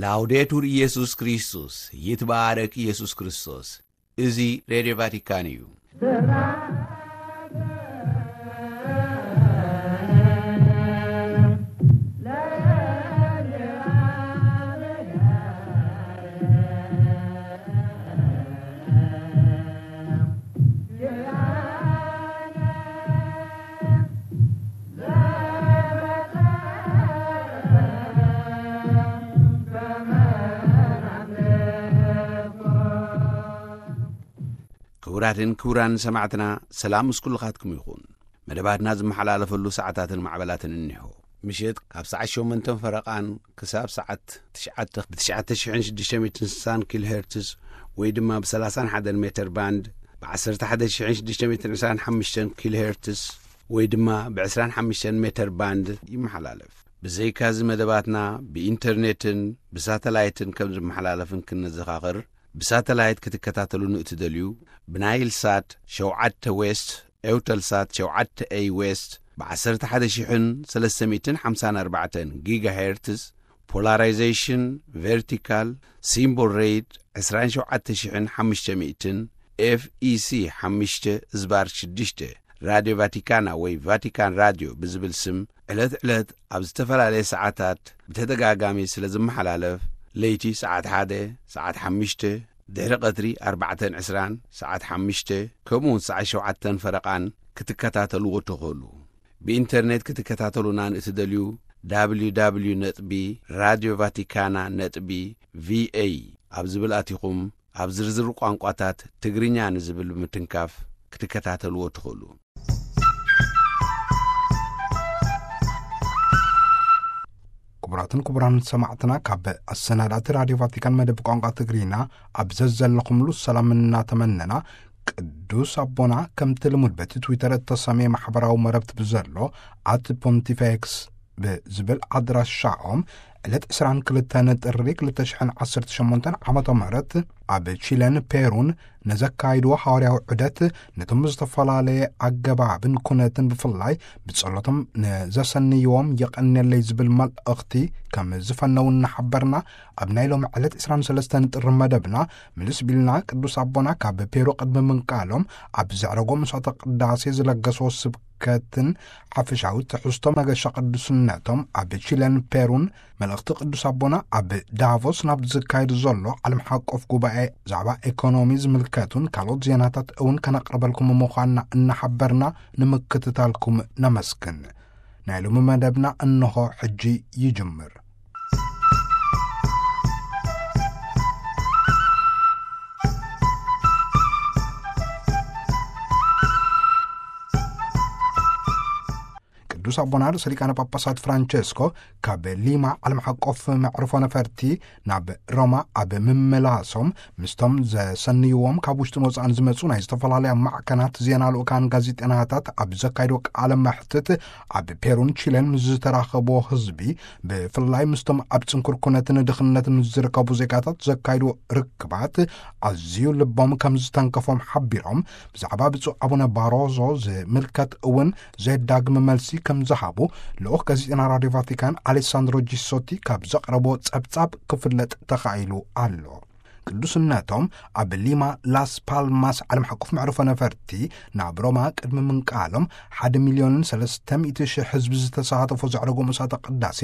ላውዴቱር ኢየሱስ ክርስቶስ፣ ይትባረክ ኢየሱስ ክርስቶስ። እዚ ሬድዮ ቫቲካን እዩ። ክቡራትን ክቡራን ሰማዕትና፣ ሰላም ምስ ኩልኻትኩም ይኹን። መደባትና ዝመሓላለፈሉ ሰዓታትን ማዕበላትን እኒሆ። ምሽት ካብ ሰዓት ሸሞንተን ፈረቓን ክሳብ ሰዓት ትሽዓተ ብ ትሽዓተ ሽሕን ሽዱሽተ ሚእትን ስሳን ኪሎ ሄርትስ ወይ ድማ ብ ሰላሳን ሓደን ሜተር ባንድ፣ ብ ዓሰርተ ሓደ ሽሕን ሽዱሽተ ሚእትን ዕስራን ሓሙሽተን ኪሎ ሄርትስ ወይ ድማ ብ ዕስራን ሓሙሽተን ሜተር ባንድ ይመሓላለፍ። ብዘይካዚ መደባትና ብኢንተርኔትን ብሳተላይትን ከም ዝመሓላለፍን ክንዘኻኽር፣ ብሳተላይት ክትከታተሉ ንእትደልዩ፣ ብናይል ሳት ሸውዓተ ዌስት፣ ኤውተል ሳት ሸውዓተ ኤይ ዌስት፣ ብ ዓሰርተ ሓደ ሽሕን ሰለስተ ሚእትን ሓምሳን ኣርባዕተን ጊጋ ሄርትዝ፣ ፖላራይዜሽን ቨርቲካል፣ ሲምቦል ሬት ዕስራን ሸውዓተ ሽሕን ሓሙሽተ ሚእትን፣ ኤፍ ኢ ሲ ሓሙሽተ ዝባር ሽዱሽተ፣ ራድዮ ቫቲካና ወይ ቫቲካን ራድዮ ብዝብል ስም ዕለት ዕለት ኣብ ዝተፈላለየ ሰዓታት ብተደጋጋሚ ስለ ዝመሓላለፍ፣ ለይቲ ሰዓት ሓደ፣ ሰዓት ሓሙሽተ፣ ድሕሪ ቀትሪ ኣርባዕተን ዕስራን፣ ሰዓት ሓሙሽተ፣ ከምኡውን ሰዓት ሸውዓተን ፈረቓን ክትከታተልዎ ትኽእሉ። ብኢንተርኔት ክትከታተሉና ንእትደልዩ፣ ደብሊው ደብሊው ደብሊው ነጥቢ ራድዮ ቫቲካና ነጥቢ ቪ ኤ ኣብ ዝብል ኣቲኹም፣ ኣብ ዝርዝር ቋንቋታት ትግርኛ ንዝብል ብምትንካፍ ክትከታተልዎ ትኽእሉ። ክቡራትን ክቡራን ሰማዕትና፣ ካብ ኣሰናዳእቲ ራድዮ ቫቲካን መደብ ቋንቋ ትግርኛ ኣብ ዘዘለኹምሉ ሰላም እናተመነና፣ ቅዱስ ኣቦና ከምቲ ልሙድ በቲ ትዊተር እተሰምየ ማሕበራዊ መረብቲ ብዘሎ ኣት ፖንቲፌክስ ብዝብል ኣድራሻኦም ዕለት ዕስራን ክልተን ጥሪ ክልተ ሽሕን ዓሰርተ ሸሞንተን ዓመተ ምህረት ኣብ ቺለን ፔሩን ነዘካይድዎ ሃዋርያዊ ዑደት ነቶም ዝተፈላለየ ኣገባብን ኩነትን ብፍላይ ብጸሎቶም ንዘሰንይዎም የቐንየለይ ዝብል መልእኽቲ ከም ዝፈነው እናሓበርና፣ ኣብ ናይ ሎሚ ዕለት ዕስራን ሰለስተን ጥሪ መደብና ምልስ ቢልና ቅዱስ ኣቦና ካብ ፔሩ ቅድሚ ምንቃሎም ኣብ ዘዕረጎ መስዋዕተ ቅዳሴ ዝለገስዎ ስብከትን ሓፈሻዊ ትሕዝቶ መገሻ ቅዱስነቶም ኣብ ቺለን ፔሩን መልእኽቲ ቅዱስ ኣቦና ኣብ ዳቮስ ናብ ዝካየድ ዘሎ ዓለም ሓቆፍ ጉባኤ ዛዕባ ኤኮኖሚ ዝምልከቱን ካልኦት ዜናታት እውን ከነቕርበልኩም ምዃንና እናሓበርና ንምክትታልኩም ነመስግን። ናይ ሎሚ መደብና እንሆ ሕጂ ይጅምር። ቅዱስ ኣቦና ርእሰ ሊቃነ ጳጳሳት ፍራንቸስኮ ካብ ሊማ ዓለም ሓቆፍ መዕርፎ ነፈርቲ ናብ ሮማ ኣብ ምምላሶም፣ ምስቶም ዘሰንይዎም ካብ ውሽጥን ወጻእን ዝመጹ ናይ ዝተፈላለያ ማዕከናት ዜና ልኡካን ጋዜጠናታት ኣብ ዘካይዶ ቃለ መሕትት፣ ኣብ ፔሩን ቺለን ምስ ዝተራኸብዎ ህዝቢ፣ ብፍላይ ምስቶም ኣብ ጽንኩር ኩነትን ድኽነትን ምስ ዝርከቡ ዜጋታት ዘካይድዎ ርክባት ኣዝዩ ልቦም ከም ዝተንከፎም ሓቢሮም፣ ብዛዕባ ብፁዕ ኣቡነ ባሮዞ ዝምልከት እውን ዘየዳግም መልሲ ከም ዝሃቡ ልኡኽ ጋዜጠና ራድዮ ቫቲካን ኣሌሳንድሮ ጂሶቲ ካብ ዘቕረቦ ጸብጻብ ክፍለጥ ተኻኢሉ ኣሎ። ቅዱስነቶም ኣብ ሊማ ላስ ፓልማስ ዓለም ሓቆፍ መዕርፎ ነፈርቲ ናብ ሮማ ቅድሚ ምንቃሎም፣ ሓደ ሚልዮንን ሰለስተ ሚእቲ ሽሕ ህዝቢ ዝተሳተፎ ዘዕረጎ መስዋዕተ ቅዳሴ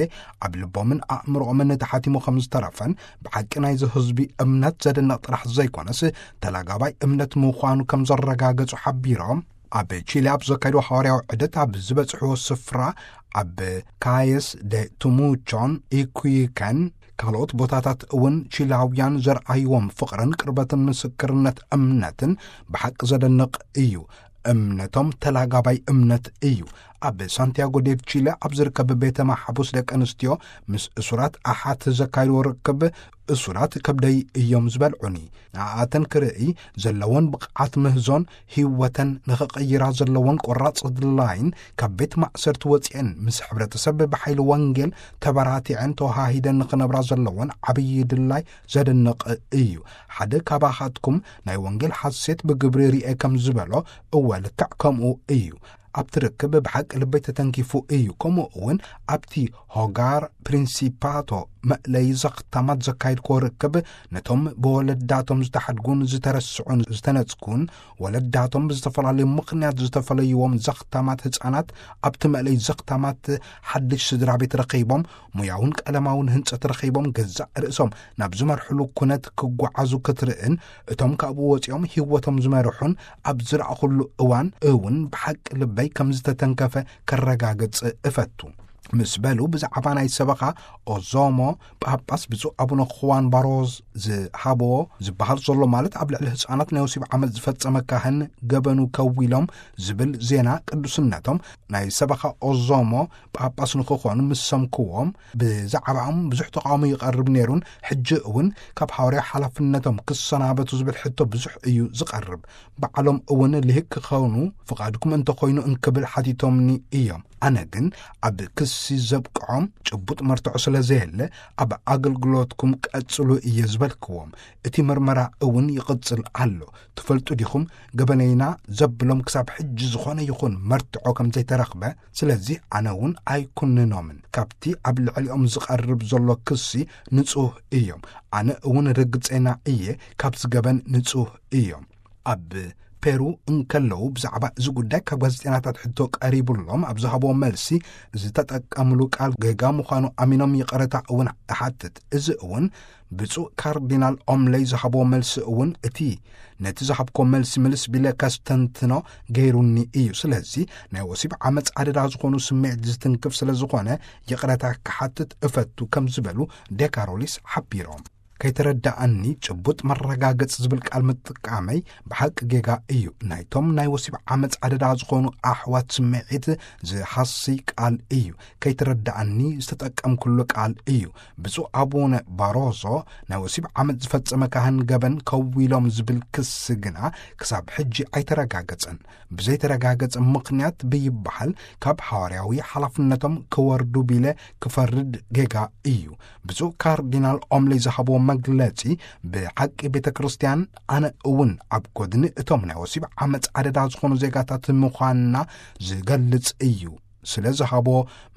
ኣብ ልቦምን ኣእምሮኦምን ተሓቲሙ ከም ዝተረፈን፣ ብሓቂ ናይዚ ህዝቢ እምነት ዘደንቕ ጥራሕ ዘይኮነስ፣ ተላጋባይ እምነት ምዃኑ ከም ዘረጋገጹ ሓቢሮም፣ ኣብ ቺሊ ኣብ ዘካየድዎ ሃዋርያዊ ዑደት ኣብ ዝበጽሕዎ ስፍራ፣ ኣብ ካየስ ደ ቱሙቾን ኢኩይከን ካልኦት ቦታታት እውን ቺላውያን ዘርኣይዎም ፍቕርን ቅርበትን ምስክርነት እምነትን ብሓቂ ዘደንቕ እዩ። እምነቶም ተላጋባይ እምነት እዩ። ኣብ ሳንቲያጎ ዴ ቺለ ኣብ ዝርከብ ቤተ ማሕቡስ ደቂ ኣንስትዮ ምስ እሱራት ኣሓት ዘካየድዎ ርክብ፣ እሱራት ከብደይ እዮም ዝበልዑኒ። ንኣኣተን ክርእይ ዘለወን ብቕዓት ምህዞን ህይወተን ንኽቕይራ ዘለወን ቆራጽ ድላይን፣ ካብ ቤት ማእሰርቲ ወጺኤን ምስ ሕብረተሰብ ብሓይሊ ወንጌል ተበራቲዐን ተወሃሂደን ንኽነብራ ዘለወን ዓብዪ ድላይ ዘደንቕ እዩ። ሓደ ካባኻትኩም ናይ ወንጌል ሓሴት ብግብሪ ርኤ ከም ዝበሎ፣ እወ፣ ልክዕ ከምኡ እዩ። ኣብቲ ርክብ ብሓቂ ልበይ ተተንኪፉ እዩ። ከምኡ እውን ኣብቲ ሆጋር ፕሪንሲፓቶ መእለይ ዘኽታማት ዘካየድክዎ ርክብ፣ ነቶም ብወለዳቶም ዝተሓድጉን ዝተረስዑን ዝተነጽጉን፣ ወለዳቶም ብዝተፈላለዩ ምኽንያት ዝተፈለይዎም ዘኽታማት ህጻናት፣ ኣብቲ መእለይ ዘኽታማት ሓድሽ ስድራ ቤት ረኺቦም፣ ሞያውን ቀለማውን ህንጸት ረኺቦም፣ ገዛእ ርእሶም ናብ ዝመርሕሉ ኩነት ክጓዓዙ ክትርእን፣ እቶም ካብኡ ወጺኦም ህይወቶም ዝመርሑን ኣብ ዝረኣኹሉ እዋን እውን ብሓቂ ልበይ ከም ዝተተንከፈ ከረጋግጽ እፈቱ። ምስ በሉ፣ ብዛዕባ ናይ ሰበኻ ኦዞሞ ጳጳስ ብፁዕ ኣቡነ ኹዋን ባሮዝ ዝሃብዎ ዝበሃል ዘሎ፣ ማለት ኣብ ልዕሊ ህፃናት ናይ ወሲብ ዓመፅ ዝፈጸመ ካህን ገበኑ ከዊሎም ዝብል ዜና፣ ቅዱስነቶም ናይ ሰበኻ ኦዞሞ ጳጳስ ንክኾኑ ምስ ሰምክዎም፣ ብዛዕባኦም ብዙሕ ተቃውሞ ይቐርብ ነይሩን፣ ሕጂ እውን ካብ ሃዋርያ ሓላፍነቶም ክሰናበቱ ዝብል ሕቶ ብዙሕ እዩ ዝቐርብ። ባዕሎም እውን ልሂቅ ክኾኑ ፍቓድኩም እንተኾይኑ እንክብል ሓቲቶምኒ እዮም። ኣነ ግን ኣብ ክሲ ዘብቅዖም ጭቡጥ መርትዖ ስለ ዘየለ፣ ኣብ ኣገልግሎትኩም ቀጽሉ እየ ዝበልክዎም። እቲ ምርመራ እውን ይቕጽል ኣሎ። ትፈልጡ ዲኹም፣ ገበነይና ዘብሎም ክሳብ ሕጂ ዝኾነ ይኹን መርትዖ ከም ዘይተረኽበ። ስለዚ ኣነ እውን ኣይኩንኖምን። ካብቲ ኣብ ልዕሊኦም ዝቐርብ ዘሎ ክሲ ንጹህ እዮም። ኣነ እውን ርግጸና እየ፣ ካብዚ ገበን ንጹህ እዮም። ኣብ ፔሩ እንከለዉ ብዛዕባ እዚ ጉዳይ ካብ ጋዜጠኛታት ሕቶ ቀሪቡሎም ኣብ ዝሃብዎ መልሲ፣ ዝተጠቀምሉ ቃል ጌጋ ምዃኑ ኣሚኖም ይቕረታ እውን እሓትት። እዚ እውን ብፁዕ ካርዲናል ኦምለይ ዝሃብዎ መልሲ እውን እቲ ነቲ ዝሃብኮ መልሲ ምልስ ቢለ ከስተንትኖ ገይሩኒ እዩ። ስለዚ ናይ ወሲብ ዓመፅ ኣደዳ ዝኾኑ ስምዒት ዝትንክፍ ስለ ዝኾነ ይቕረታ ክሓትት እፈቱ ከም ዝበሉ ዴካሮሊስ ሓቢሮም። ከይተረዳኣኒ ጭቡጥ መረጋገጽ ዝብል ቃል ምጥቃመይ ብሓቂ ጌጋ እዩ። ናይቶም ናይ ወሲብ ዓመፅ ኣደዳ ዝኾኑ ኣሕዋት ስምዒት ዝሃሲ ቃል እዩ። ከይተረዳኣኒ ዝተጠቀምኩሉ ቃል እዩ። ብፁዕ ኣቡነ ባሮዞ ናይ ወሲብ ዓመፅ ዝፈጸመ ካህን ገበን ከዊሎም ዝብል ክሲ ግና ክሳብ ሕጂ ኣይተረጋገጸን። ብዘይተረጋገጸ ምኽንያት ብይበሃል ካብ ሃዋርያዊ ሓላፍነቶም ክወርዱ ቢለ ክፈርድ ጌጋ እዩ። ብፁዕ ካርዲናል ኦምሊ ዝሃብዎ መግለጺ፣ ብሓቂ ቤተ ክርስቲያን ኣነ እውን ኣብ ጎድኒ እቶም ናይ ወሲብ ዓመፅ ኣደዳ ዝኾኑ ዜጋታት ምዃንና ዝገልጽ እዩ ስለ ዝሃቦ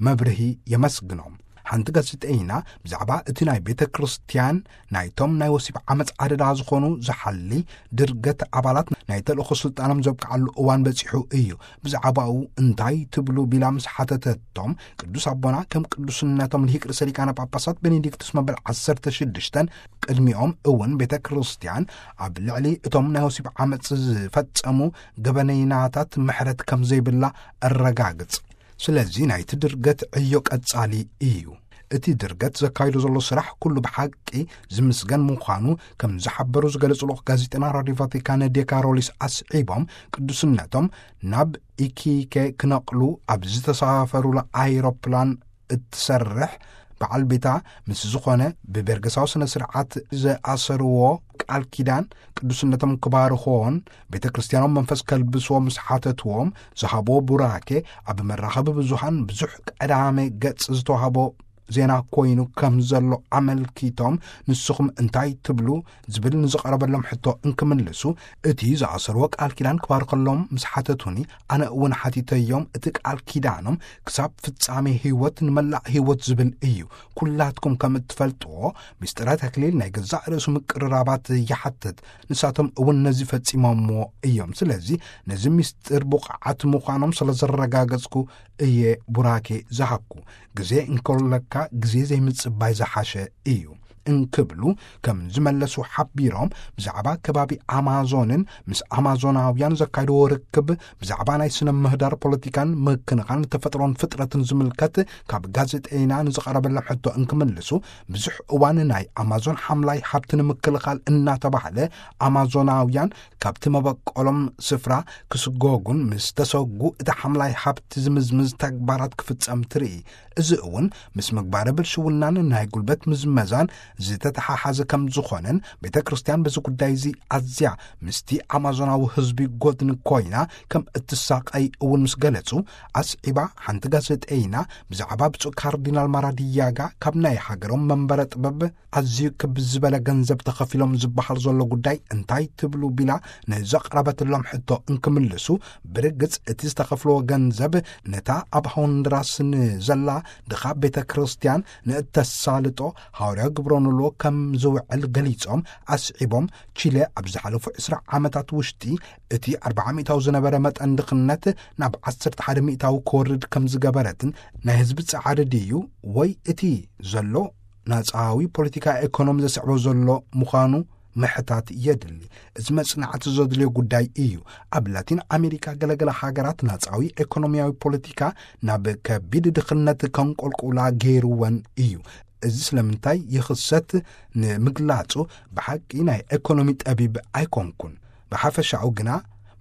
መብርሂ የመስግኖም። ሓንቲ ጋዜጠይና ብዛዕባ እቲ ናይ ቤተ ክርስቲያን ናይቶም ናይ ወሲብ ዓመፅ ኣደዳ ዝኾኑ ዝሓሊ ድርገት ኣባላት ናይ ተልእኾ ስልጣኖም ዘብቅዓሉ እዋን በጺሑ እዩ። ብዛዕባኡ እንታይ ትብሉ ቢላ ምስ ሓተተቶም፣ ቅዱስ ኣቦና ከም ቅዱስነቶም ልሂቅ ርእሰ ሊቃነ ጳጳሳት ቤኔዲክቱስ መበል ዓሰርተ ሽዱሽተን ቅድሚኦም እውን ቤተ ክርስቲያን ኣብ ልዕሊ እቶም ናይ ወሲብ ዓመፅ ዝፈጸሙ ገበነይናታት ምሕረት ከም ዘይብላ ኣረጋግጽ። ስለዚ ናይቲ ድርገት ዕዮ ቀጻሊ እዩ። እቲ ድርገት ዘካይዶ ዘሎ ስራሕ ኩሉ ብሓቂ ዝምስገን ምዃኑ ከም ዝሓበሩ ዝገለጹ ልኡኽ ጋዜጠና ራድዮ ቫቲካን ዴካሮሊስ ኣስዒቦም፣ ቅዱስነቶም ናብ ኢኪኬ ክነቕሉ ኣብ ዝተሳፈሩላ ኣይሮፕላን እትሰርሕ በዓል ቤታ ምስ ዝኾነ ብቤርገሳዊ ስነ ስርዓት ዝኣሰርዎ ቃል ኪዳን ቅዱስነቶም ክባርኽዎን ቤተ ክርስቲያኖም መንፈስ ከልብስዎ ምስ ሓተትዎም ዝሃብዎ ቡራኬ ኣብ መራኸቢ ብዙሃን ብዙሕ ቀዳመ ገጽ ዝተዋህቦ ዜና ኮይኑ ከም ዘሎ ኣመልኪቶም፣ ንስኹም እንታይ ትብሉ ዝብል ንዝቐረበሎም ሕቶ እንክምልሱ፣ እቲ ዝኣሰርዎ ቃል ኪዳን ክባርኸሎም ምስ ሓተቱኒ፣ ኣነ እውን ሓቲተዮም፣ እቲ ቃል ኪዳኖም ክሳብ ፍጻሜ ህይወት ንመላእ ህይወት ዝብል እዩ። ኩላትኩም ከም እትፈልጥዎ፣ ምስጢረ ተክሊል ናይ ገዛእ ርእሱ ምቅርራባት ይሓትት። ንሳቶም እውን ነዚ ፈጺሞምዎ እዮም። ስለዚ ነዚ ምስጢር ብቑዓት ምዃኖም ስለ ዘረጋገጽኩ እየ ቡራኬ ዝሃብኩ። ግዜ እንከለካ ግዜ ዘይምጽባይ ዝሓሸ እዩ እንክብሉ ከም ዝመለሱ ሓቢሮም፣ ብዛዕባ ከባቢ ኣማዞንን ምስ ኣማዞናውያን ዘካይድዎ ርክብ፣ ብዛዕባ ናይ ስነ ምህዳር ፖለቲካን ምክንኻን ተፈጥሮን ፍጥረትን ዝምልከት ካብ ጋዜጠይና ንዝቐረበሎም ሕቶ እንክምልሱ፣ ብዙሕ እዋን ናይ ኣማዞን ሓምላይ ሃብቲ ንምክልኻል እናተባህለ ኣማዞናውያን ካብቲ መበቆሎም ስፍራ ክስጎጉን ምስ ተሰጉ እቲ ሓምላይ ሃብቲ ዝምዝምዝ ተግባራት ክፍጸም ትርኢ። እዚ እውን ምስ ምግባረ ብልሽውናን ናይ ጉልበት ምዝመዛን ዝተተሓሓዘ ከም ዝኾነን፣ ቤተ ክርስቲያን በዚ ጉዳይ እዚ ኣዝያ ምስቲ ኣማዞናዊ ህዝቢ ጎድኒ ኮይና ከም እትሳቐይ እውን ምስ ገለጹ፣ ኣስዒባ ሓንቲ ጋዜጠይና ብዛዕባ ብፁዕ ካርዲናል ማራዲያጋ ካብ ናይ ሃገሮም መንበረ ጥበብ ኣዝዩ ክብ ዝበለ ገንዘብ ተኸፊሎም ዝበሃል ዘሎ ጉዳይ እንታይ ትብሉ ቢላ ንዘቕረበትሎም ሕቶ እንክምልሱ፣ ብርግጽ እቲ ዝተኸፍልዎ ገንዘብ ነታ ኣብ ሆንድራስ ንዘላ ድኻ ቤተ ክርስቲያን ንእተሳልጦ ሃዋርያዊ ግብረ ኖልዎ ከም ዝውዕል ገሊጾም፣ ኣስዒቦም፣ ቺለ ኣብ ዝሓለፉ ዕስራ ዓመታት ውሽጢ እቲ ኣርብዓ ሚእታዊ ዝነበረ መጠን ድኽነት ናብ ዓሰርተ ሓደ ሚእታዊ ክወርድ ከም ዝገበረትን፣ ናይ ህዝቢ ጻዕሪ ድዩ ወይ እቲ ዘሎ ናጻዊ ፖለቲካ ኢኮኖሚ ዘስዕቦ ዘሎ ምዃኑ ምሕታት የድሊ። እዚ መጽናዕቲ ዘድልዮ ጉዳይ እዩ። ኣብ ላቲን ኣሜሪካ ገለገለ ሃገራት ናጻዊ ኢኮኖሚያዊ ፖለቲካ ናብ ከቢድ ድኽነት ከንቆልቁላ ገይርወን እዩ። እዚ ስለምንታይ ይኽሰት ንምግላጹ ብሓቂ ናይ ኢኮኖሚ ጠቢብ ኣይኮንኩን። ብሓፈሻኡ ግና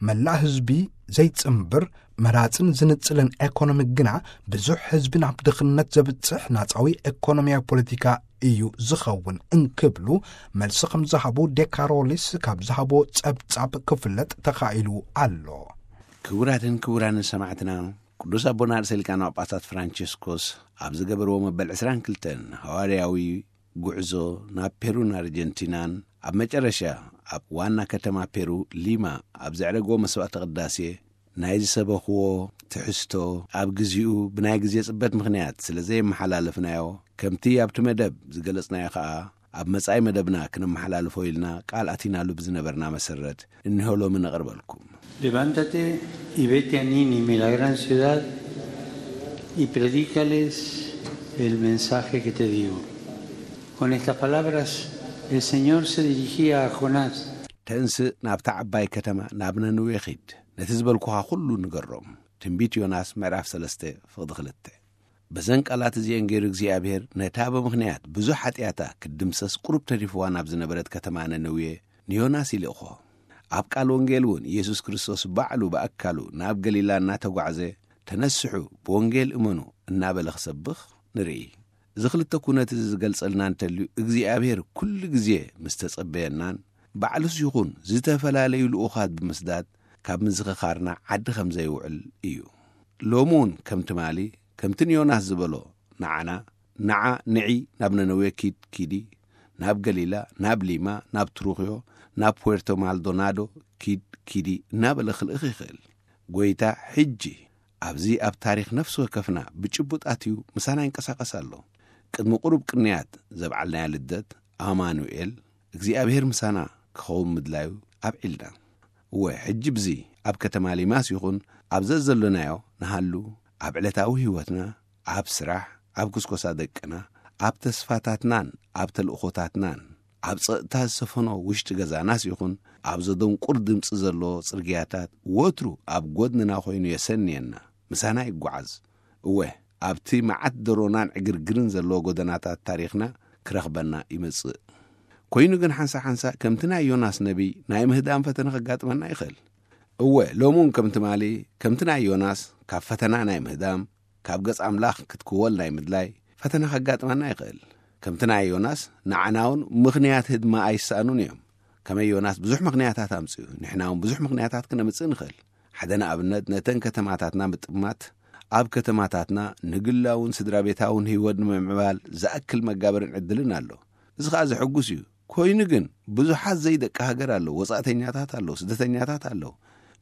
መላእ ህዝቢ ዘይጽንብር መራጽን ዝንጽልን ኢኮኖሚ ግና ብዙሕ ህዝቢ ናብ ድኽነት ዘብጽሕ ናጻዊ ኢኮኖሚያዊ ፖለቲካ እዩ ዝኸውን እንክብሉ መልሲ ከም ዝሃቡ ዴካሮሊስ ካብ ዝሃቦ ጸብጻብ ክፍለጥ ተኻኢሉ ኣሎ። ክቡራትን ክቡራንን ሰማዕትና፣ ቅዱስ ኣቦና ርእሰ ሊቃነ ጳጳሳት ፍራንቸስኮስ ኣብ ዝገበርዎ መበል ዕስራን ክልተን ሃዋርያዊ ጉዕዞ ናብ ፔሩን ኣርጀንቲናን፣ ኣብ መጨረሻ ኣብ ዋና ከተማ ፔሩ ሊማ ኣብ ዘዕረግዎ መስዋዕተ ቅዳሴ ናይ ዝሰበኽዎ ትሕዝቶ፣ ኣብ ግዚኡ ብናይ ግዜ ጽበት ምኽንያት ስለ ዘየመሓላለፍናዮ፣ ከምቲ ኣብቲ መደብ ዝገለጽናዮ ኸኣ፣ ኣብ መጻኢ መደብና ክነመሓላልፎ ኢልና ቃል ኣቲናሉ ብዝነበርና መሰረት፣ እንሆ ሎሚ ነቕርበልኩም። Levántate y vete a Nínive, la gran ciudad, y predícales el mensaje que te digo. Con estas palabras, el Señor se dirigía a Jonás. ተንስእ፣ ናብታ ዓባይ ከተማ ናብ ነነዌ ኺድ፣ ነቲ ዝበልኩኻ ኹሉ ንገሮም። ትንቢት ዮናስ ምዕራፍ ሰለስተ ፍቕዲ ክልተ። በዘን ቃላት እዚኤን ገይሩ እግዚኣብሔር ነታ ብምኽንያት ብዙሕ ሓጢኣታ ክትድምሰስ ቁሩብ ተሪፍዋ ናብ ዝነበረት ከተማ ነነዌ ንዮናስ ይልእኾ። ኣብ ቃል ወንጌል እውን ኢየሱስ ክርስቶስ ባዕሉ ብኣካሉ ናብ ገሊላ እናተጓዕዘ፣ "ተነስሑ፣ ብወንጌል እመኑ" እናበለ ክሰብኽ ንርኢ። እዚ ክልተ ኩነት እዚ ዝገልጸልና እንተልዩ፣ እግዚኣብሔር ኩሉ ግዜ ምስ ተጸበየናን ባዕሉስ ይኹን ዝተፈላለዩ ልኡኻት ብምስዳድ ካብ ምዝኽኻርና ዓዲ ከም ዘይውዕል እዩ። ሎሚ እውን ከም ትማሊ፣ ከምቲ ንዮናስ ዝበሎ ንዓና፣ "ንዓ፣ ንዒ፣ ናብ ነነዌ ኪድ፣ ኪዲ፣ ናብ ገሊላ፣ ናብ ሊማ፣ ናብ ትሩኽዮ፣ ናብ ፑዌርቶ ማልዶናዶ ኪድ፣ ኪዲ" እናበለ ክልእኽ ይኽእል። ጐይታ ሕጂ ኣብዚ ኣብ ታሪኽ ነፍሲ ወከፍና ብጭቡጥ ኣትዩ ምሳና ይንቀሳቐስ ኣሎ። ቅድሚ ቁሩብ ቅንያት ዘብዓልናያ ልደት፣ ኣማኑኤል፣ እግዚኣብሔር ምሳና ክኸውን ምድላዩ ኣብዒልና። እወ፣ ሕጂ ብዚ ኣብ ከተማ ሊማስ ይኹን ኣብ ዘዘሎናዮ ንሃሉ፣ ኣብ ዕለታዊ ህይወትና፣ ኣብ ስራሕ፣ ኣብ ኩስኮሳ ደቅና፣ ኣብ ተስፋታትናን ኣብ ተልእኾታትናን፣ ኣብ ጸጥታ ዝሰፈኖ ውሽጢ ገዛናስ ይኹን ኣብ ዘደንቁር ድምጺ ዘለዎ ጽርግያታት፣ ወትሩ ኣብ ጐድንና ኾይኑ የሰንየና፣ ምሳና ይጓዓዝ። እወ፣ ኣብቲ መዓት ደሮናን ዕግርግርን ዘለዎ ጐደናታት ታሪኽና ክረኽበና ይመጽእ። ኮይኑ ግን ሓንሳ ሓንሳ ከምቲ ናይ ዮናስ ነቢይ ናይ ምህዳም ፈተነ ከጋጥመና ይኽእል። እወ፣ ሎሚ እውን ከም ትማሊ፣ ከምቲ ናይ ዮናስ ካብ ፈተና ናይ ምህዳም፣ ካብ ገጽ ኣምላኽ ክትክወል ናይ ምድላይ ፈተና ከጋጥመና ይኽእል። ከምቲ ናይ ዮናስ ንዓና እውን ምኽንያት ህድማ ኣይሰኣኑን እዮም። ከመይ ዮናስ ብዙሕ ምኽንያታት ኣምጺኡ፣ ንሕና እውን ብዙሕ ምኽንያታት ክነምጽእ ንኽእል። ሓደ ንኣብነት፣ ነተን ከተማታትና ምጥማት፣ ኣብ ከተማታትና ንግላውን ስድራ ቤታውን ህይወት ንምምዕባል ዝኣክል መጋበርን ዕድልን ኣሎ። እዚ ኸኣ ዘሐጉስ እዩ። ኮይኑ ግን ብዙሓት ዘይደቂ ሃገር ኣለዉ፣ ወጻእተኛታት ኣለዉ፣ ስደተኛታት ኣለዉ።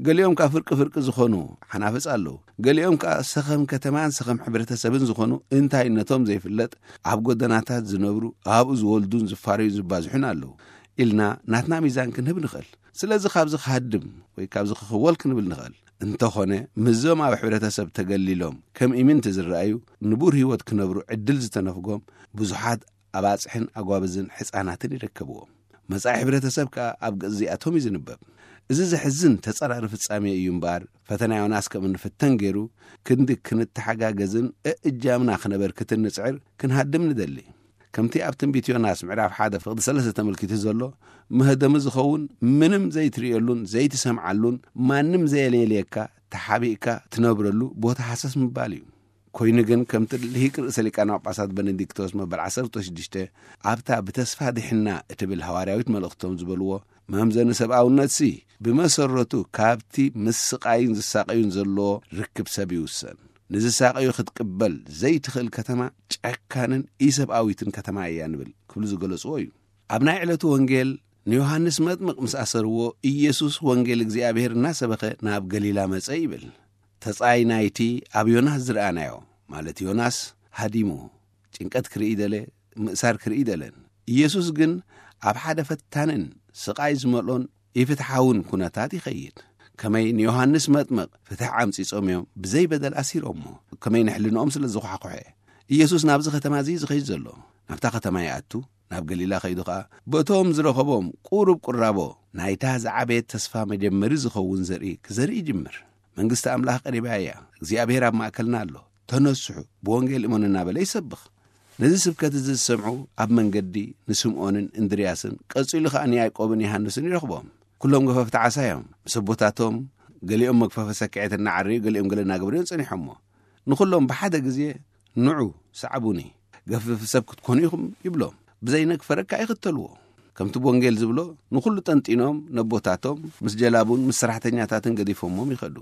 ገሊኦም ከኣ ፍርቂ ፍርቂ ዝኾኑ ሓናፍጽ ኣለዉ። ገሊኦም ከኣ ሰኸም ከተማን ሰኸም ሕብረተሰብን ዝኾኑ እንታይነቶም ዘይፍለጥ ኣብ ጎደናታት ዝነብሩ፣ ኣብኡ ዝወልዱን ዝፋረዩ ዝባዝሑን ኣለዉ ኢልና ናትና ሚዛን ክንህብ ንኽእል። ስለዚ ካብዚ ክሃድም ወይ ካብዚ ክኽወል ክንብል ንኽእል። እንተኾነ ምስዞም ኣብ ሕብረተሰብ ተገሊሎም ከም ኢምንቲ ዝረኣዩ ንቡር ህይወት ክነብሩ ዕድል ዝተነፍጎም ብዙሓት ኣባጽሕን ኣጓብዝን ሕጻናትን ይርከብዎም። መጻኢ ሕብረተሰብ ከኣ ኣብ ገጽ እዚኣቶም እዩ ዝንበብ። እዚ ዘሕዝን ተጻራሪ ፍጻሜ እዩ እምበኣር፣ ፈተና ዮናስ ከም እንፍተን ገይሩ ክንዲ ክንተሓጋገዝን እእጃምና ክነበርክትን ንጽዕር ክንሃድም ንደሊ። ከምቲ ኣብ ትንቢት ዮናስ ምዕራፍ ሓደ ፍቕዲ ሰለስተ ተመልኪቱ ዘሎ፣ መህደሚ ዝኸውን ምንም ዘይትርእየሉን ዘይትሰምዓሉን ማንም ዘየለየልየካ ተሓቢእካ ትነብረሉ ቦታ ሃሰስ ምባል እዩ። ኮይኑ ግን፣ ከምቲ ልሂቅ ርእሰ ሊቃነ ጳጳሳት በነዲክቶስ መበል ዓሰርተ ሽዱሽተ ኣብታ ብተስፋ ድሕና እትብል ሃዋርያዊት መልእኽቶም ዝበልዎ፣ መምዘኒ ሰብኣውነትሲ ብመሰረቱ ካብቲ ምስቃይን ዝሳቀዩን ዘለዎ ርክብ ሰብ ይውሰን። ንዝሳቀዩ ክትቅበል ዘይትኽእል ከተማ ጨካንን ኢሰብኣዊትን ከተማ እያ ንብል ክብሉ ዝገለጽዎ እዩ። ኣብ ናይ ዕለቱ ወንጌል ንዮሃንስ መጥምቕ ምስ ኣሰርዎ፣ ኢየሱስ ወንጌል እግዚኣብሔር እናሰበኸ ናብ ገሊላ መጸ ይብል። ተጻይ ናይቲ ኣብ ዮናስ ዝረኣናዮ፣ ማለት ዮናስ ሃዲሙ፣ ጭንቀት ክርኢ ደለ፣ ምእሳር ክርኢ ደለን። ኢየሱስ ግን ኣብ ሓደ ፈታንን ስቓይ ዝመልኦን ኢፍትሓውን ኩነታት ይኸይድ። ከመይ ንዮሃንስ መጥምቕ ፍትሕ ዓምጺጾም እዮም ብዘይ በደል ኣሲሮሞ፣ ከመይ ንሕልንኦም ስለ ዝኳሕኩሐ። ኢየሱስ ናብዚ ከተማ እዚ እዩ ዝኸይድ ዘሎ። ናብታ ከተማ ይኣቱ፣ ናብ ገሊላ ከይዱ ኸኣ በቶም ዝረኸቦም ቁሩብ ቁራቦ ናይታ ዝዓበየት ተስፋ መጀመሪ ዝኸውን ዘርኢ ክዘርኢ ይጅምር። መንግስቲ ኣምላኽ ቀሪባ እያ። እግዚኣብሔር ኣብ ማእከልና ኣሎ። ተነስሑ፣ ብወንጌል እመኑ እናበለ ይሰብኽ። ነዚ ስብከት እዚ ዝሰምዑ ኣብ መንገዲ ንስምዖንን እንድርያስን ቀጺሉ ኸኣ ንያዕቆብን ዮሃንስን ይረኽቦም። ኩሎም ገፈፍቲ ዓሳ እዮም። ምስ ኣቦታቶም ገሊኦም መግፈፊ ሰኪዐት እናዓረዩ፣ ገሊኦም ገለ እናገበሩ እዮም ጸኒሖሞ። ንኹሎም ብሓደ ግዜ ንዑ፣ ሰዓቡኒ፣ ገፍፊ ሰብ ክትኮኑ ኢኹም ይብሎም። ብዘይ ነግ ፈረካ ይኽተልዎ። ከምቲ ብወንጌል ዝብሎ፣ ንኹሉ ጠንጢኖም ነቦታቶም ምስ ጀላቡን ምስ ሰራሕተኛታትን ገዲፎሞም ይኸዱ።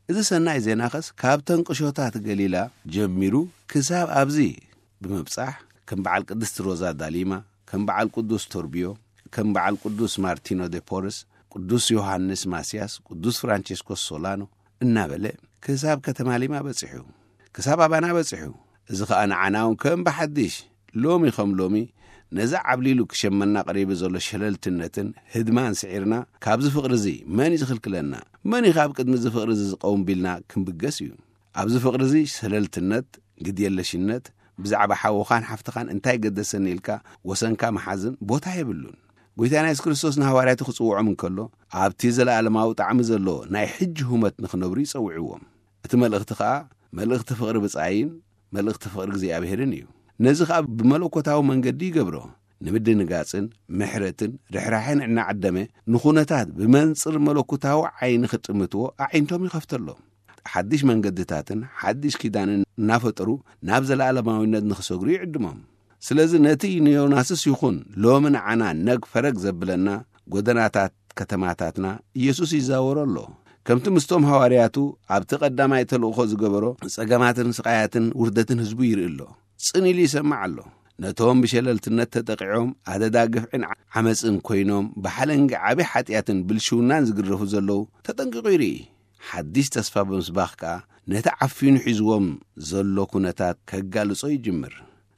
እዚ ሰናይ ዜናኸስ ካብተን ቁሾታት ገሊላ ጀሚሩ ክሳብ ኣብዚ ብምብጻሕ፣ ከም በዓል ቅድስቲ ሮዛ ዳሊማ፣ ከም በዓል ቅዱስ ቶርቢዮ፣ ከም በዓል ቅዱስ ማርቲኖ ደ ፖርስ፣ ቅዱስ ዮሃንስ ማስያስ፣ ቅዱስ ፍራንቸስኮስ ሶላኖ እናበለ ክሳብ ከተማ ሊማ በጺሑ። ክሳብ ኣባና በጺሑ። እዚ ኸኣ ንዓና እውን ከም ብሓድሽ ሎሚ ከም ሎሚ ነዚ ዓብሊሉ ክሸመና ቀሪቡ ዘሎ ሸለልትነትን ህድማን ስዒርና፣ ካብዚ ፍቕሪ እዚ መን እዩ ዝኽልክለና? መን እዩ ካብ ቅድሚ እዚ ፍቕሪ እዚ ዝቐውም ቢልና ክንብገስ እዩ። ኣብዚ ፍቕሪ እዚ ሸለልትነት፣ ግድየለሽነት፣ ብዛዕባ ሓውኻን ሓፍትኻን እንታይ ገደሰኒ ኢልካ ወሰንካ ምሓዝን ቦታ የብሉን። ጐይታና የሱስ ክርስቶስ ንሃዋርያቱ ክጽውዖም እንከሎ፣ ኣብቲ ዘለኣለማዊ ጣዕሚ ዘለዎ ናይ ሕጂ ሁመት ንኽነብሩ ይጸውዕዎም። እቲ መልእኽቲ ኸኣ መልእኽቲ ፍቕሪ ብጻይን መልእኽቲ ፍቕሪ እግዚኣብሔርን እዩ። ነዚ ኸኣ ብመለኮታዊ መንገዲ ይገብሮ። ንምድንጋጽን ምሕረትን ርሕራሕን እናዓደመ፣ ንኹነታት ብመንጽር መለኮታዊ ዓይኒ ክጥምትዎ ኣዒንቶም ይኸፍተሎም። ሓድሽ መንገድታትን ሓድሽ ኪዳንን እናፈጠሩ ናብ ዘለኣለማዊነት ንኽሰግሩ ይዕድሞም። ስለዚ ነቲ ንዮናስስ ይኹን ሎሚ ንዓና ነግ ፈረግ ዘብለና ጎደናታት ከተማታትና ኢየሱስ ይዛወሮ ኣሎ። ከምቲ ምስቶም ሃዋርያቱ ኣብቲ ቀዳማይ ተልእኾ ዝገበሮ፣ ጸገማትን ስቓያትን ውርደትን ህዝቡ ይርኢ ኣሎ። ጽን ኢሉ ይሰምዕ ኣሎ። ነቶም ብሸለልትነት ተጠቂዖም ኣደዳ ግፍዕን ዓመጽን ኮይኖም ብሓለንጊ ዓቢ ሓጢኣትን ብልሽውናን ዝግረፉ ዘለዉ ተጠንቂቑ ይርኢ። ሓድሽ ተስፋ ብምስባኽ ከኣ ነቲ ዓፊኑ ሒዝዎም ዘሎ ኩነታት ከጋልጾ ይጅምር።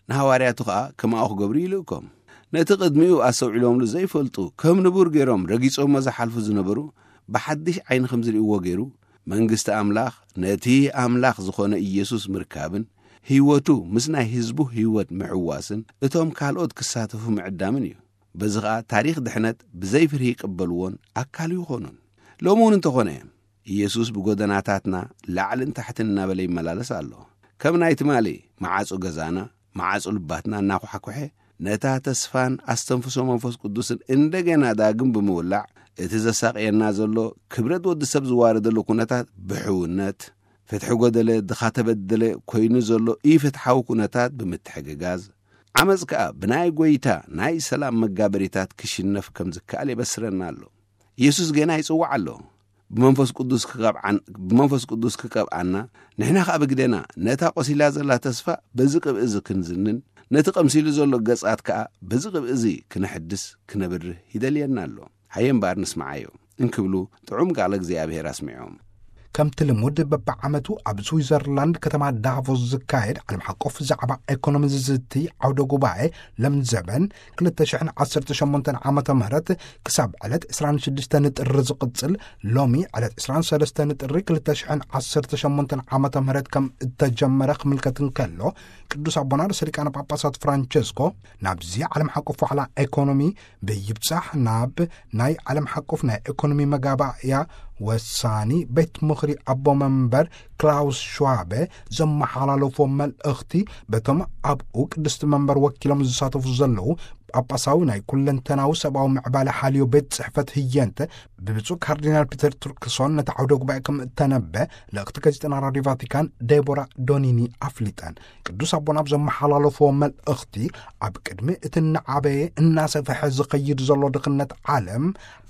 ንሃዋርያቱ ኸኣ ከማኡ ክገብሩ ይልእኮም። ነቲ ቅድሚኡ ኣስተውዒሎምሉ ዘይፈልጡ፣ ከም ንቡር ገይሮም ረጊጾሞ ዝሓልፉ ዝነበሩ፣ ብሓድሽ ዓይኒ ከም ዝርእይዎ ገይሩ፣ መንግስቲ ኣምላኽ ነቲ ኣምላኽ ዝኾነ ኢየሱስ ምርካብን፣ ህይወቱ ምስ ናይ ህዝቡ ህይወት ምሕዋስን፣ እቶም ካልኦት ክሳተፉ ምዕዳምን እዩ። በዚ ኸኣ ታሪኽ ድሕነት ብዘይ ፍርሂ ይቅበልዎን ኣካሉ ይኾኑን። ሎሚ እውን እንተኾነ፣ ኢየሱስ ብጎደናታትና ላዕልን ታሕትን እናበለ ይመላለስ ኣሎ። ከም ናይ ትማሊ መዓጹ ገዛና፣ መዓጹ ልባትና እናኳሕኩሐ፣ ነታ ተስፋን ኣስተንፍሶ መንፈስ ቅዱስን እንደገና ዳግም ብምውላዕ፣ እቲ ዘሳቕየና ዘሎ ክብረት ወዲ ሰብ ዝዋረደሉ ኩነታት ብሕውነት፣ ፍትሒ ጎደለ፣ ድኻ ተበደለ ኮይኑ ዘሎ ኢፍትሓዊ ኩነታት ብምትሕግጋዝ፣ ዓመጽ ከኣ ብናይ ጐይታ ናይ ሰላም መጋበሪታት ክሽነፍ ከም ዝከኣል የበስረና ኣሎ። ኢየሱስ ጌና ይጽውዕ ኣሎ። ብመንፈስ ቅዱስ ክቐብዓን-፣ ብመንፈስ ቅዱስ ክቀብኣና፣ ንሕና ኸኣ ብግደና ነታ ቆሲላ ዘላ ተስፋ በዚ ቅብኢ እዚ ክንዝንን፣ ነቲ ቀምሲሉ ዘሎ ገጻት ከኣ በዚ ቅብኢ እዚ ክነሕድስ፣ ክነብርህ ይደልየና ኣሎ። ሃየ እምበኣር ንስምዓዮ እንክብሉ ጥዑም ቃለ እግዚኣብሔር ኣስሚዖም። ከምቲ ልሙድ በብዓመቱ ኣብ ስዊዘርላንድ ከተማ ዳቮስ ዝካየድ ዓለም ሓቆፍ ዛዕባ ኤኮኖሚ ዝዝቲ ዓውደ ጉባኤ ለምዘበን ክልተ ሽሕን ዓሰርተ ሸሞንተን ዓመተ ምህረት ክሳብ ዕለት ዕስራን ሽዱሽተን ጥሪ ዝቕጽል፣ ሎሚ ዕለት ዕስራን ሰለስተን ጥሪ ክልተ ሽሕን ዓሰርተ ሸሞንተን ዓመተ ምህረት ከም እተጀመረ ክምልከት እንከሎ፣ ቅዱስ ኣቦና ርእሰ ሊቃነ ጳጳሳት ፍራንቸስኮ ናብዚ ዓለም ሓቆፍ ዋዕላ ኤኮኖሚ ብይብጻሕ ናብ ናይ ዓለም ሓቆፍ ናይ ኤኮኖሚ መጋባእያ ወሳኒ ቤት ምኽሪ ኣቦ መንበር ክላውስ ሽዋበ ዘመሓላለፎ መልእኽቲ፣ በቶም ኣብኡ ቅድስቲ መንበር ወኪሎም ዝሳተፉ ዘለዉ ጳጳሳዊ ናይ ኩለንተናዊ ሰብኣዊ ምዕባለ ሓልዮ ቤት ጽሕፈት ህየንተ ብብፁዕ ካርዲናል ፒተር ቱርክሶን ነቲ ዓውደ ጉባኤ ከም እተነበ ልእኽቲ ጋዜጠና ራድዮ ቫቲካን ዴቦራ ዶኒኒ ኣፍሊጠን። ቅዱስ ኣቦና ኣብ ዘመሓላለፍዎ መልእኽቲ፣ ኣብ ቅድሚ እቲ እናዓበየ እናሰፍሐ ዝኸይድ ዘሎ ድኽነት ዓለም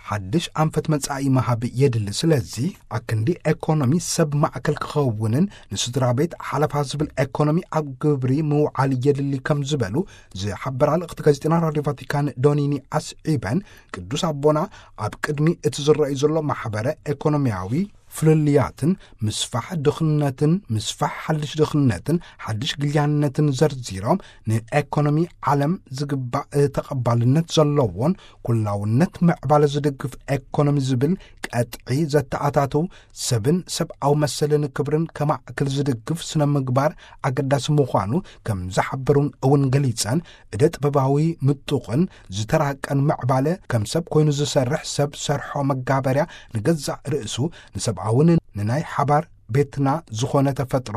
ሓድሽ ኣንፈት መጻኢ ምሃብ የድሊ። ስለዚ ኣክንዲ ኤኮኖሚ ሰብ ማእከል ክኸውንን ንስድራ ቤት ሓለፋ ዝብል ኤኮኖሚ ኣብ ግብሪ ምውዓል የድሊ ከም ዝበሉ ዝሓበራ ልእኽቲ ጋዜጠና ራድዮ ቫቲካን ዶኒኒ ኣስዒበን፣ ቅዱስ ኣቦና ኣብ ቅድሚ እቲ ዝረኣዩ ዘሎ ማሕበረ ኤኮኖሚያዊ ፍልልያትን ምስፋሕ ድኽነትን፣ ምስፋሕ ሓድሽ ድኽነትን ሓድሽ ግልያነትን ዘርዚሮም፣ ንኤኮኖሚ ዓለም ዝግባእ ተቐባልነት ዘለዎን ኩላውነት ምዕባለ ዝድግፍ ኤኮኖሚ ዝብል ቀጥዒ ዘተኣታትው፣ ሰብን ሰብኣዊ መሰልን ክብርን ከማእክል ዝድግፍ ስነ ምግባር ኣገዳሲ ምዃኑ ከም ዝሓበሩን እውን ገሊጸን፣ እደ ጥበባዊ ምጡቕን ዝተራቀን ምዕባለ፣ ከም ሰብ ኮይኑ ዝሰርሕ ሰብ ሰርሖ መጋበርያ ንገዛእ ርእሱ ንሰብኣውን ንናይ ሓባር ቤትና ዝኾነ ተፈጥሮ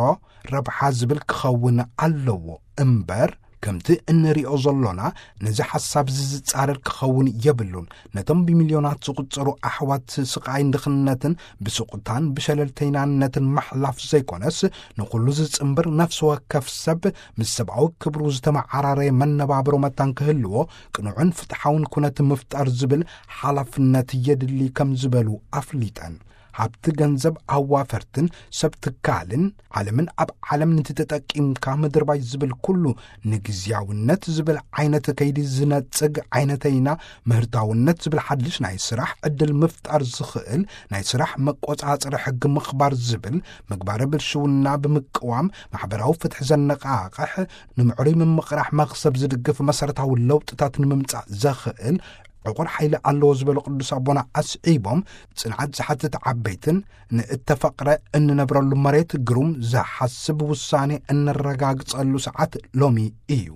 ረብሓ ዝብል ክኸውን ኣለዎ እምበር፣ ከምቲ እንሪኦ ዘሎና ነዚ ሓሳብ እዚ ዝጻረር ክኸውን የብሉን። ነቶም ብሚልዮናት ዝቑጸሩ ኣሕዋት ስቓይን ድኽነትን ብስቑታን ብሸለልተይናነትን ምሕላፍ ዘይኮነስ፣ ንኹሉ ዝጽንብር ነፍሲ ወከፍ ሰብ ምስ ሰብኣዊ ክብሩ ዝተመዓራረየ መነባብሮ መታን ክህልዎ፣ ቅኑዕን ፍትሓውን ኩነት ምፍጣር ዝብል ሓላፍነት የድሊ ከም ዝበሉ ኣፍሊጠን። ሃብቲ ገንዘብ ኣዋፈርትን ሰብ ትካልን ዓለምን ኣብ ዓለም ንቲ ተጠቂምካ ምድርባይ ዝብል ኩሉ ንግዝያውነት ዝብል ዓይነት ከይዲ ዝነጽግ ዓይነተይና፣ ምህርታውነት ዝብል ሓድሽ ናይ ስራሕ ዕድል ምፍጣር ዝኽእል ናይ ስራሕ መቆጻጸሪ ሕጊ ምኽባር ዝብል ምግባረ ብልሽውና ብምቅዋም ማሕበራዊ ፍትሒ ዘነቃቕሕ ንምዕሩይ ምምቕራሕ መኽሰብ ዝድግፍ መሰረታዊ ለውጥታት ንምምጻእ ዘኽእል ዕቑር ሓይሊ ኣለዎ ዝበሉ ቅዱስ ኣቦና ኣስዒቦም፣ ጽንዓት ዝሓትት ዓበይትን ንእተፈቕረ እንነብረሉ መሬት ግሩም ዝሓስብ ውሳኔ እነረጋግጸሉ ሰዓት ሎሚ እዩ።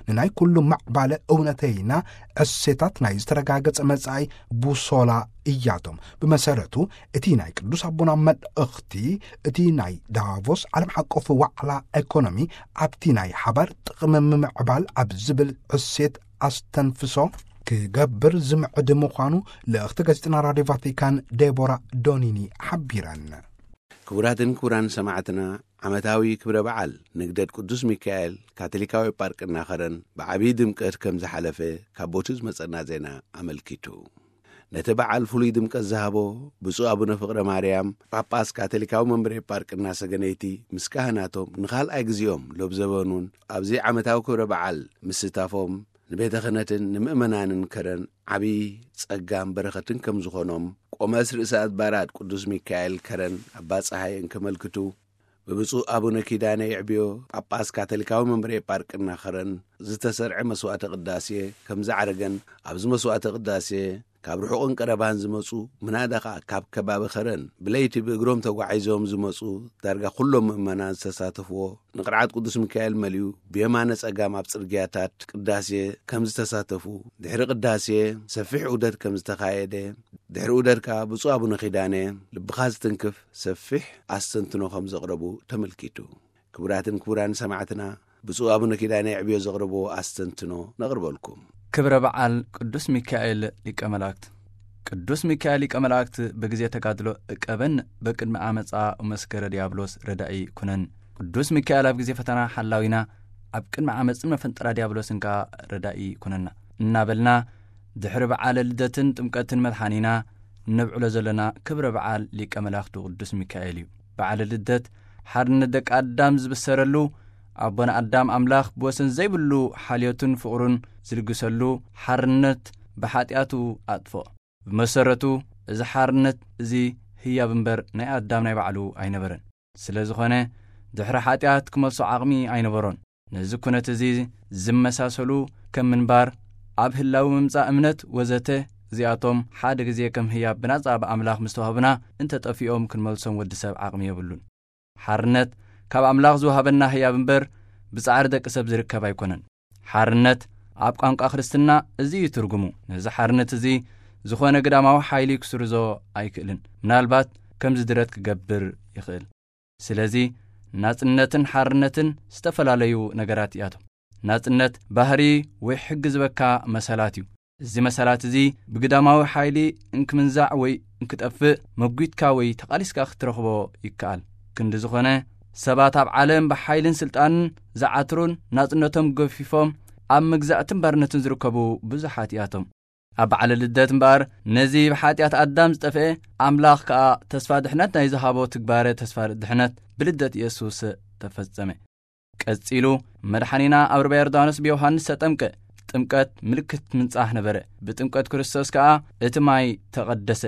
ንናይ ኩሉ ማዕባለ እውነተይና እሴታት ናይ ዝተረጋገጸ መጻኢ ቡሶላ እያቶም። ብመሰረቱ እቲ ናይ ቅዱስ ኣቦና መልእኽቲ እቲ ናይ ዳቮስ ዓለም ሓቆፍ ዋዕላ ኤኮኖሚ ኣብቲ ናይ ሓባር ጥቕሚ ምምዕባል ኣብ ዝብል እሴት ኣስተንፍሶ ክገብር ዝምዕድ ምዃኑ ልእኽቲ ጋዜጠና ራድዮ ቫቲካን ዴቦራ ዶኒኒ ሓቢረን። ክቡራትን ክቡራን ሰማዕትና፣ ዓመታዊ ክብረ በዓል ንግደት ቅዱስ ሚካኤል ካቶሊካዊ ጳርቅና ኸረን ብዓብዪ ድምቀት ከም ዝሓለፈ ካብ ቦቱ ዝመጸና ዜና ኣመልኪቱ። ነቲ በዓል ፍሉይ ድምቀት ዝሃቦ ብፁዕ ኣቡነ ፍቕረ ማርያም ጳጳስ ካቶሊካዊ መንበረ ጳርቅና ሰገነይቲ ምስ ካህናቶም ንኻልኣይ ግዜኦም ሎብ ዘበኑን ኣብዚ ዓመታዊ ክብረ በዓል ምስታፎም ንቤተ ክህነትን ንምእመናንን ከረን ዓብዪ ጸጋን በረኸትን ከም ዝኾኖም ቆመስ ርእሰ ኣድባራት ቅዱስ ሚካኤል ከረን ኣባ ጸሃየ እንከመልክቱ፣ ብብፁዕ ኣቡነ ኪዳነ ይዕብዮ ጳጳስ ካቶሊካዊ መንበረ ጳርቅና ከረን ዝተሰርዐ መስዋዕተ ቅዳሴ ከም ዝዓረገን ኣብዚ መስዋዕተ ቅዳሴ ካብ ርሑቕን ቀረባን ዝመጹ ምናዳ ኸኣ ካብ ከባቢ ከረን ብለይቲ ብእግሮም ተጓዒዞም ዝመጹ ዳርጋ ኩሎም ምእመናን ዝተሳተፍዎ ንቕርዓት ቅዱስ ሚካኤል መሊኡ ብየማነ ጸጋም ኣብ ጽርግያታት ቅዳሴ ከም ዝተሳተፉ፣ ድሕሪ ቅዳሴ ሰፊሕ ዑደት ከም ዝተኻየደ፣ ድሕሪ ዑደት ከኣ ብፁዕ ኣቡነ ኪዳነ ልብኻ ዝትንክፍ ሰፊሕ ኣስተንትኖ ከም ዘቕረቡ ተመልኪቱ። ክቡራትን ክቡራን ሰማዕትና፣ ብፁዕ ኣቡነ ኪዳነ የዕብዮ ዘቕረብዎ ኣስተንትኖ ነቕርበልኩም። ክብረ በዓል ቅዱስ ሚካኤል ሊቀ መላእክት። ቅዱስ ሚካኤል ሊቀ መላእክት ብግዜ ተጋድሎ እቀበን፣ በቅድሚ ዓመፃ መስከረ ዲያብሎስ ረዳኢ ኩነን። ቅዱስ ሚካኤል ኣብ ግዜ ፈተና ሓላዊና፣ ኣብ ቅድሚ ዓመፅን መፈንጠራ ዲያብሎስን ከኣ ረዳኢ ኩነና እናበልና፣ ድሕሪ በዓለ ልደትን ጥምቀትን መድሓኒና ነብዕሎ ዘለና ክብረ በዓል ሊቀ መላእክቱ ቅዱስ ሚካኤል እዩ። በዓለ ልደት ሓርነት ደቂ ኣዳም ዝብሰረሉ፣ ኣቦና ኣዳም ኣምላኽ ብወሰን ዘይብሉ ሓልዮቱን ፍቕሩን ዝልግሰሉ ሓርነት ብሓጢኣቱ ኣጥፍኦ። ብመሰረቱ እዚ ሓርነት እዚ ህያብ እምበር ናይ ኣዳም ናይ ባዕሉ ኣይነበረን። ስለ ዝኾነ ድሕሪ ሓጢኣት ክመልሶ ዓቕሚ ኣይነበሮን። ነዚ ኩነት እዚ ዝመሳሰሉ ከም ምንባር፣ ኣብ ህላዊ ምምጻእ እምነት ወዘተ፣ እዚኣቶም ሓደ ግዜ ከም ህያብ ብናጻ ብኣምላኽ ምስ ተዋህቡና እንተጠፊኦም ክንመልሶም ወዲ ሰብ ዓቕሚ የብሉን። ሓርነት ካብ ኣምላኽ ዝወሃበና ህያብ እምበር ብጻዕሪ ደቂ ሰብ ዝርከብ ኣይኮነን። ሓርነት ኣብ ቋንቋ ክርስትና እዚ እዩ ትርጉሙ። ነዚ ሓርነት እዚ ዝኾነ ግዳማዊ ሓይሊ ክስርዞ ኣይክእልን። ምናልባት ከም ዝድረት ክገብር ይኽእል። ስለዚ ናጽነትን ሓርነትን ዝተፈላለዩ ነገራት እያቶም። ናጽነት ባህሪ ወይ ሕጊ ዝበካ መሰላት እዩ። እዚ መሰላት እዚ ብግዳማዊ ሓይሊ እንክምንዛዕ ወይ እንክጠፍእ መጒትካ ወይ ተቓሊስካ ክትረኽቦ ይከኣል። ክንዲ ዝኾነ፣ ሰባት ኣብ ዓለም ብሓይልን ስልጣንን ዝዓትሩን ናጽነቶም ገፊፎም ኣብ መግዛእትን ባርነትን ዝርከቡ ብዙሓት እያቶም። ኣብ በዓለ ልደት እምበኣር ነዚ ብሓጢኣት ኣዳም ዝጠፍአ ኣምላኽ ከኣ ተስፋ ድሕነት ናይ ዝሃቦ ትግባረ ተስፋ ድሕነት ብልደት ኢየሱስ ተፈጸመ። ቀጺሉ መድሓኒና ኣብ ርባ ዮርዳኖስ ብዮሃንስ ተጠምቀ። ጥምቀት ምልክት ምንጻህ ነበረ። ብጥምቀት ክርስቶስ ከኣ እቲ ማይ ተቐደሰ።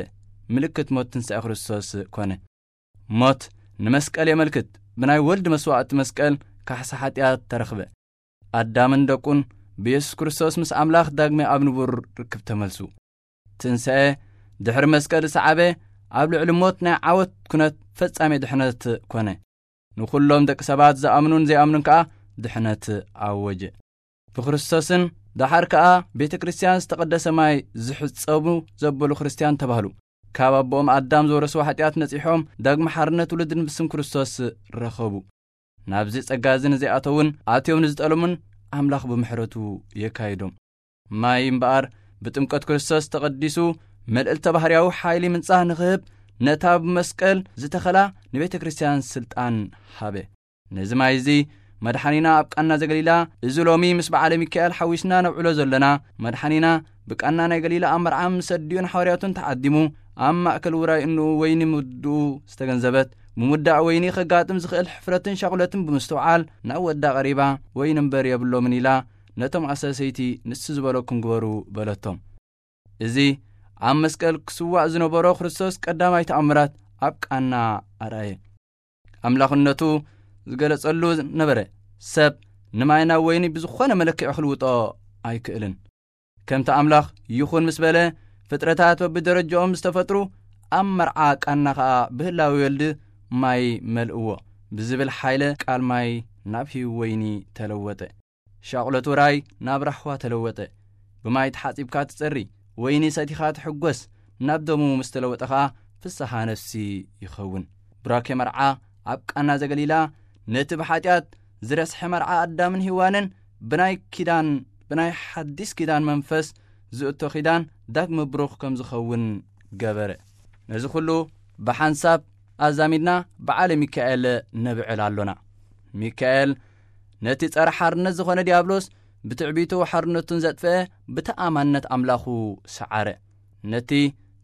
ምልክት ሞት ትንሳኤ ክርስቶስ ኮነ። ሞት ንመስቀል የመልክት። ብናይ ወልድ መስዋእቲ መስቀል ካሕሳ ሓጢኣት ተረኽበ። ኣዳምን ደቁን ብየሱስ ክርስቶስ ምስ ኣምላኽ ዳግመ ኣብ ንቡር ርክብ ተመልሱ። ትንሳኤ ድሕሪ መስቀል ዝሰዓበ ኣብ ልዕሊ ሞት ናይ ዓወት ኩነት ፈጻሜ ድሕነት ኮነ። ንኹሎም ደቂ ሰባት ዝኣምኑን ዘይኣምኑን ከኣ ድሕነት ኣወጀ። ብክርስቶስን ደሓር ከኣ ቤተ ክርስቲያን ዝተቐደሰ ማይ ዝሕጸቡ ዘበሉ ክርስቲያን ተባህሉ። ካብ ኣቦኦም ኣዳም ዝወረስዎ ሓጢኣት ነጺሖም ዳግመ ሓርነት ውሉድን ብስም ክርስቶስ ረኸቡ። ናብዚ ጸጋ እዚ ንዘይኣተውን ኣትዮም ንዝጠለሙን ኣምላኽ ብምሕረቱ የካይዶም። ማይ እምበኣር ብጥምቀት ክርስቶስ ተቐዲሱ መልእልተ ባህርያዊ ሓይሊ ምንጻህ ንኽህብ ነታ ብመስቀል ዝተኸላ ንቤተ ክርስቲያን ስልጣን ሃበ። ነዚ ማይ እዚ መድሓኒና ኣብ ቃና ዘገሊላ እዚ ሎሚ ምስ በዓለ ሚካኤል ሓዊስና ነብዕሎ ዘለና መድሓኒና ብቃና ናይ ገሊላ ኣብ መርዓ ምስ ኣዲኡን ሓዋርያቱን ተዓዲሙ ኣብ ማእከል ውራይ እንኡ ወይኒ ምውድኡ ዝተገንዘበት ምውዳእ ወይኒ ከጋጥም ዝኽእል ሕፍረትን ሻቑለትን ብምስትውዓል ናብ ወዳ ቀሪባ ወይኒ እምበር የብሎምን ኢላ ነቶም ኣሰሰይቲ ንሱ ዝበለኩም ግበሩ በለቶም። እዚ ኣብ መስቀል ክስዋእ ዝነበሮ ክርስቶስ ቀዳማይ ተኣምራት ኣብ ቃና ኣርኣየ። ኣምላኽነቱ ዝገለጸሉ ነበረ። ሰብ ንማይ ናብ ወይኒ ብዝኾነ መለክዒ ክልውጦ ኣይክእልን። ከምቲ ኣምላኽ ይኹን ምስ በለ ፍጥረታት በብደረጃኦም ዝተፈጥሩ ኣብ መርዓ ቃና ኸኣ ብህላዊ ወልድ ማይ መልእዎ ብዝብል ሓይለ ቃል ማይ ናብ ህይው ወይኒ ተለወጠ። ሻቕሎት ውራይ ናብ ራህዋ ተለወጠ። ብማይ ተሓጺብካ ትጸሪ፣ ወይኒ ሰቲኻ ትሕጎስ፣ ናብ ደሙ ምስ ተለወጠ ኸኣ ፍስሓ ነፍሲ ይኸውን። ቡራኬ መርዓ ኣብ ቃና ዘገሊላ ነቲ ብሓጢኣት ዝረስሐ መርዓ ኣዳምን ሄዋንን ብናይ ኪዳን ብናይ ሓዲስ ኪዳን መንፈስ ዝእቶ ኪዳን ዳግመ ብሩኽ ከም ዝኸውን ገበረ። ነዚ ኩሉ ብሓንሳብ ኣዛሚድና በዓለ ሚካኤል ነብዕል ኣሎና። ሚካኤል ነቲ ጸረ ሓርነት ዝኾነ ዲያብሎስ ብትዕቢቱ ሓርነቱን ዘጥፍአ ብተኣማንነት ኣምላኹ ሰዓረ። ነቲ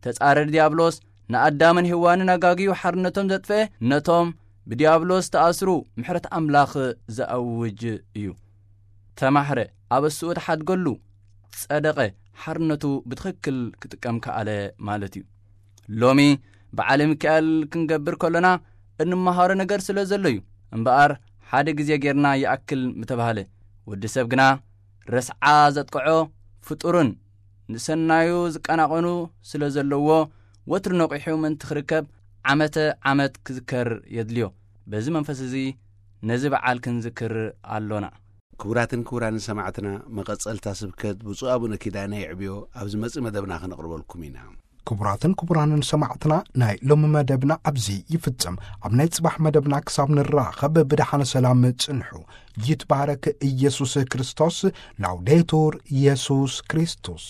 ተጻረሪ ዲያብሎስ ንኣዳምን ሄዋንን ኣጋግዩ ሓርነቶም ዘጥፍአ ነቶም ብዲያብሎስ ተኣስሩ ምሕረት ኣምላኽ ዘኣውጅ እዩ። ተማሕረ፣ ኣብ እሱኡ ተሓድገሉ፣ ጸደቐ፣ ሓርነቱ ብትኽክል ክጥቀም ከኣለ ማለት እዩ። ሎሚ በዓለ ሚካኤል ክንገብር ከሎና እንመሃሮ ነገር ስለ ዘሎ እዩ። እምበኣር ሓደ ግዜ ጌርና ይኣክል ምተባህለ፣ ወዲ ሰብ ግና ረስዓ ዘጥቅዖ ፍጡርን ንሰናዩ ዝቀናቐኑ ስለ ዘለዎ ወትሩ ነቒሑ ምእንቲ ክርከብ ዓመተ ዓመት ክዝከር የድልዮ። በዚ መንፈስ እዚ ነዚ በዓል ክንዝክር ኣሎና። ክቡራትን ክቡራንን ሰማዕትና፣ መቐጸልታ ስብከት ብፁዕ ኣቡነ ኪዳነ የዕብዮ ኣብ ዝመጽእ መደብና ክነቕርበልኩም ኢና። ክቡራትን ክቡራንን ሰማዕትና፣ ናይ ሎሚ መደብና ኣብዚ ይፍጸም። ኣብ ናይ ጽባሕ መደብና ክሳብ ንራኸብ ብደሓነ ሰላም ጽንሑ። ይትባረክ ኢየሱስ ክርስቶስ። ላውዴቱር ኢየሱስ ክርስቶስ።